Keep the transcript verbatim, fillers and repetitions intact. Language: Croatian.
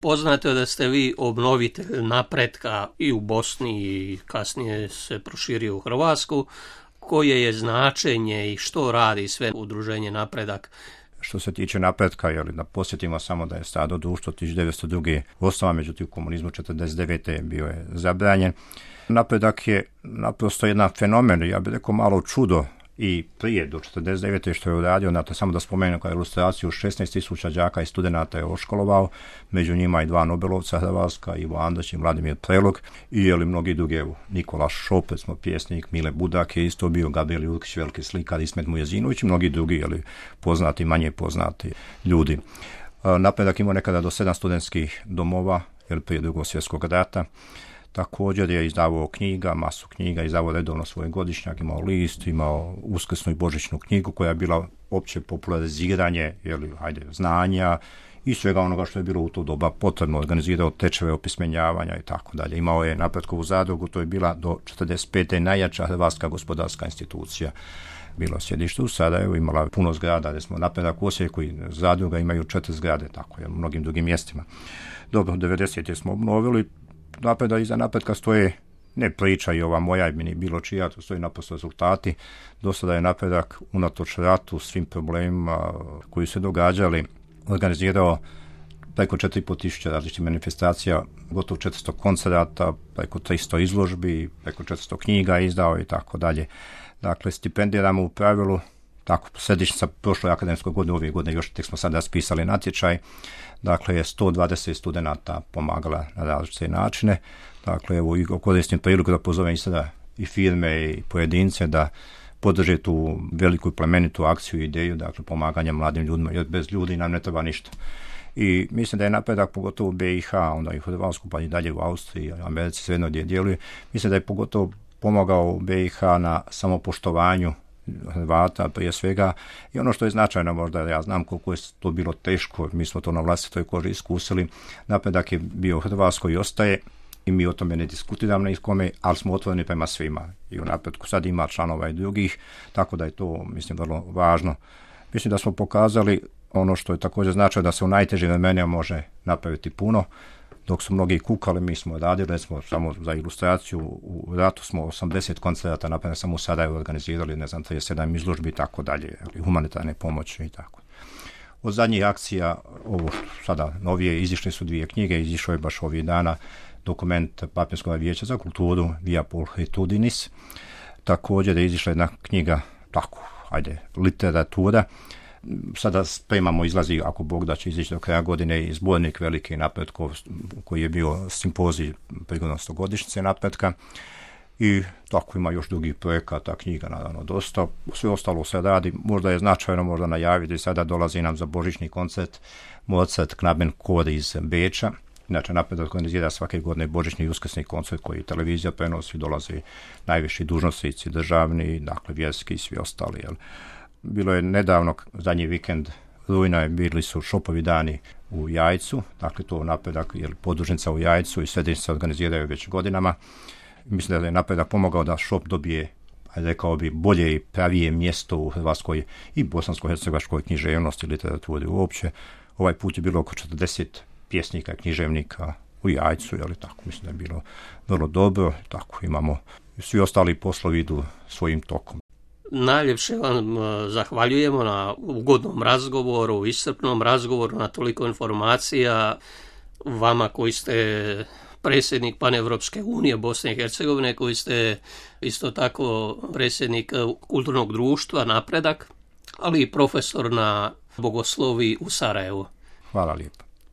Poznato je da ste vi obnovitelj napretka i u Bosni i kasnije se proširio u Hrvatsku. Koje je značenje i što radi sve udruženje Napredak? Što se tiče napretka, jel, da posjetimo samo da je stado društvo tisuću devetsto druge osnovan, međutim u komunizmu četrdeset devete bio je zabranjen. Napredak je naprosto jedan fenomen, ja bih rekao malo čudo i prije do četrdeset devete što je uradio, dakle, samo da spomenem kao ilustraciju, šesnaest tisuća đaka i studenata je oškolovao, među njima i dva Nobelovca Hrvatska, Ivo Andrić i Vladimir Prelog, i jeli mnogi drugi, Nikola Šop, smo pjesnik, Mile Budak je isto bio, Gabriel Jurkić, veliki slikar, Ismet Mujezinović i mnogi drugi, jeli, poznati, manje poznati ljudi. Napredak imao nekada do sedam studentskih domova, jel, prije Drugog svjetskog rata. Također je izdavao knjiga, masu knjiga, izdavao redovno svoj godišnjak, imao list, imao uskrsnu i božićnu knjigu koja je bila opće populariziranje, jeli, ajde, znanja i svega onoga što je bilo u to doba potrebno, organizirao tečeve opismenjavanja i tako dalje. Imao je Napretkovu zadrugu, to je bila do četrdeset pete najjača hrvatska gospodarska institucija. Bilo sjedište u Sarajevu, imala puno zgrada, gdje smo Napredak u Osijeku i zadruga imaju četiri zgrade, tako je, u mnogim drugim mjestima. Dobro, devedesete smo obnovili. Napredak, iza Napretka stoje ne priča i ova moja i bilo čija, to stoji naprosto rezultati. Do sada je Napredak unatoč ratu, svim problemima koji se događali, organizirao preko četiri i pol tisuće različitih manifestacija, gotovo četiristo koncerata, preko tristo izložbi, preko četiristo knjiga izdao i tako dalje. Dakle, stipendiramo u pravilu, tako, središnjica prošle akademske godine, ove godine još tek smo sad raspisali natječaj, dakle je sto dvadeset studenata pomagala na različite načine. Dakle, evo, koristim priliku da pozovem i sada i firme i pojedince da podrže tu veliku i plemenitu akciju i ideju, dakle, pomaganja mladim ljudima, jer bez ljudi nam ne treba ništa. I mislim da je napredak, pogotovo u B i H, onda i u Hrvatsku, pa i dalje u Austriji, Americi, svejedno gdje djeluje, mislim da je pogotovo pomogao u B i H na samopoštovanju Hrvata prije svega, i ono što je značajno, možda ja znam koliko je to bilo teško, mi smo to na vlastitoj koži iskusili. Napredak je bio u Hrvatskoj i ostaje i mi o tome ne diskutiramo na iskome, ali smo otvoreni prema svima i u Napretku sad ima članova i drugih, tako da je to, mislim, vrlo važno. Mislim da smo pokazali ono što je također značajno, da se u najtežim vremenima može napraviti puno. Dok su mnogi kukali, mi smo radili, smo samo za ilustraciju, u ratu smo osamdeset koncerata, napravili samo u Sarajevu organizirali, ne znam, trideset sedam izložbi i tako dalje, humanitarne pomoći i tako. Od zadnjih akcija, ovo sada novije, izišle su dvije knjige, izišao je baš ovih dana dokument Papinskog vijeća za kulturu Via Pulhritudinis. Također je izišla jedna knjiga, tako, ajde, literatura. Sada spremamo, izlazi, ako Bog da će izići do kraja godine, i zbornik Veliki napretkov koji je bio simpozij prigodom stogodišnjice napretka, i tako ima još drugih projekata, knjiga naravno dosta, sve ostalo se radi. Možda je značajno možda najaviti, sada dolazi nam za božićni koncert Mozart Knabenchor iz Beča. Inače, Napredak organizira svake godine božićni i uskrsni koncert koji televizija prenosi, dolazi najviši dužnosnici državni, dakle vjerski i svi ostali, jel. Bilo je nedavno, zadnji vikend rujna je, bili su šopovi dani u Jajcu, dakle to Napredak, jer podružnica u Jajcu i središnjice se organiziraju već godinama. Mislim da je Napredak pomogao da šop dobije, rekao bi, bolje i pravije mjesto u hrvatskoj i bosansko-hercegovačkoj književnosti i literaturi uopće. Ovaj put je bilo oko četrdeset pjesnika i književnika u Jajcu, ali tako, mislim da je bilo vrlo dobro, tako imamo, svi ostali poslovi idu svojim tokom. Najljepše vam zahvaljujemo na ugodnom razgovoru, iscrpnom razgovoru, na toliko informacija. Vama koji ste predsjednik Paneuropske unije Bosne i Hercegovine, koji ste isto tako predsjednik kulturnog društva Napredak, ali i profesor na bogosloviji u Sarajevu. Hvala lijepo.